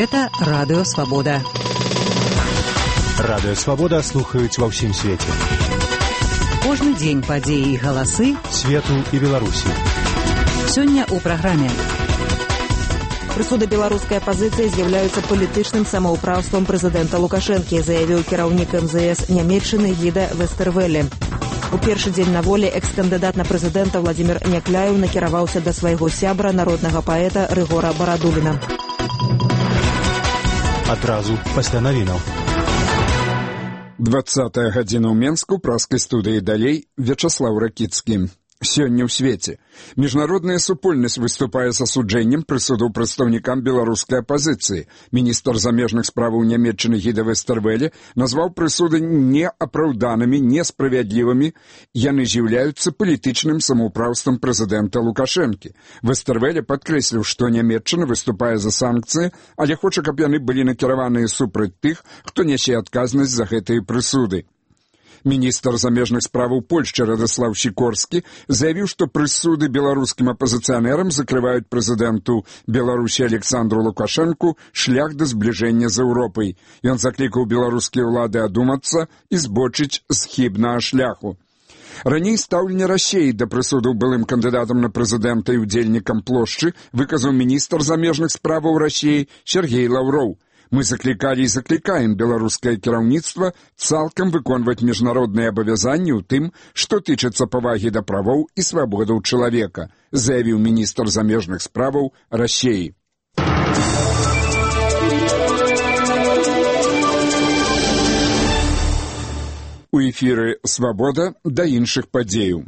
Гэта Радыё Свабода. Радыё Свабода слухаюць ва ўсім свеце. Кожны дзень падзеі і галасы свету і Беларусі. Сёння ў праграме. Прысуды беларускай апазіцыі з'яўляюцца палітычным самаўпраўствам прэзідэнта Лукашэнкі, заявіў кіраўнік МЗС Нямецчыны Гіда Вестэрвэле. У першы дзень на волі экс-кандыдат на прэзідэнта Владзімір Някляеў накіраваўся да свайго сябра, народнага паэта Рыгора Барадуліна. Адразу пасля навінаў. 20-я гадзіна ў Менску, праскай студыі далей, Вячаслаў Ракіцкі. Сёння ў свеце. Міжнародная супольнасць выступае з асуджэннем прысудаў прадстаўнікам беларускай апазіцыі. Міністр замежных справаў Нямецчыны Гіда Вестэрвэле назваў прысуды неапраўданымі, несправядлівымі. Яны з'яўляюцца палітычным самаўпраўствам прэзідэнта Лукашэнкі. Вестэрвэле падкрэсліў, што Нямецчына выступае за санкцыі, але хоча, каб яны былі накіраваныя супраць тых, хто нясе адказнасць за гэтыя прысуды. Міністр замежных справаў Польшчы Радыслаў Сікорскі заявіў, што прысуды беларускім апазіцыянерам закрываюць прэзідэнту Беларусі Александру Лукашэнку шлях да збліжэння з Еўропай. Ён заклікаў беларускія ўлады адумацца і збочыць з хібнага шляху. Раней стаўленне Расіі да прысудаў былым кандыдатам на прэзідэнта і ўдзельнікам плошчы выказаў міністр замежных справаў Расіі Сергей Лаўроў. Мы заклікалі і заклікаем беларускае кіраўніцтва цалкам выконваць міжнародныя абавязанні ў тым, што тычыцца павагі да правоў і свабодаў чалавека, заявіў міністр замежных справаў Расіі. У эфіры «Свабода» да іншых падзеяў.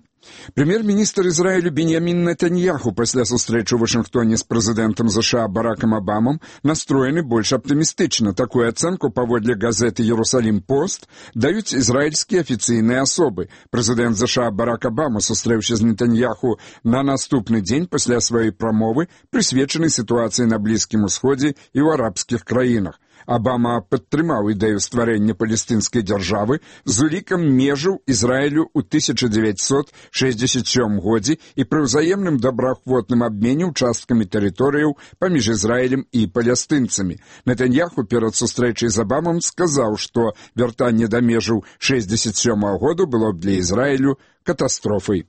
Прэм'ер-міністр Ізраілю Беньямін Нетаньяху пасля сустрэчы ў Вашынгтоне з прэзідэнтам США Баракам Абамам настроены больш аптымістычна. Такую ацэнку паводле газеты «Ерусалім-Пост» даюць ізраільскія афіцыйныя асобы. Прэзідэнт США Барак Абама сустрэўся з Нетаньяху на наступны дзень пасля сваёй прамовы, прысвечанай сітуацыі на Блізкім Усходзе і ў арабскіх краінах. Абама падтрымаў ідэю стварэння палестынскай дзяржавы з улікам межаў Ізраілю ў 1967 годзе і пры ўзаемным добраахвотным абмене ўчасткамі тэрыторыяў паміж Ізраілем і палестынцамі. Нетаньяху перад сустрэчай з Абамам сказаў, што вяртанне да межаў 1967 году было б для Ізраілю катастрофай.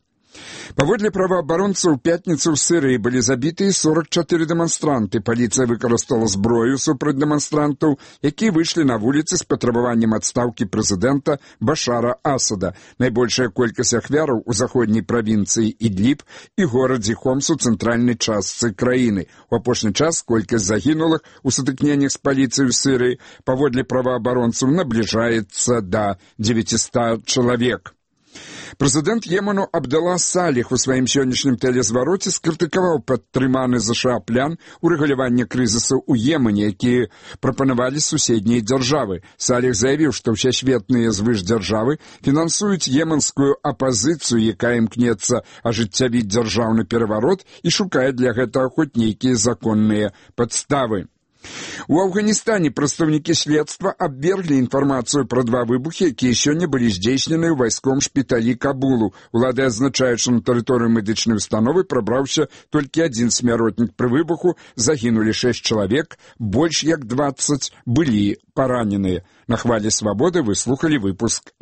Паводле праваабаронцаў, у пятніцу ў Сірыі былі забітыя 44 дэманстранты. Паліцыя выкарыстала зброю супраць дэманстрантаў, якія выйшлі на вуліцы з патрабаваннем адстаўкі прэзідэнта Башара Асада. Найбольшая колькасць ахвяраў у заходняй правінцыі Ідліб і горадзе Хомс у цэнтральнай частцы краіны. У апошні час колькасць загінулых у сутыкненнях з паліцыяй у Сірыі паводле праваабаронцаў набліжаецца да 900 чалавек. Прэзідэнт Йемену Абдалла Саліх у сваім сённяшнім тэлезвароце скрытыкаваў падтрыманы ЗША план урэгулявання крызісу ў Йемене, які прапанавалі суседнія дзяржавы. Саліх заявіў, што ўсесветныя звышдзяржавы фінансуюць йеменскую апазіцыю, якая імкнецца ажыццявіць дзяржаўны пераварот і шукае для гэтага хоць нейкія законныя падставы. У Афганістане прадстаўнікі следства абверглі інфармацыю пра два выбухі, якія сёння былі здзейснены ў вайском шпіталі Кабулу. Улады адзначаюць, што на тэрыторыю медычнай установы прабраўся толькі адзін смяротнік. Пры выбуху загінулі 6 чалавек, больш як 20 былі параненыя. На хвалі свабоды вы слухалі выпуск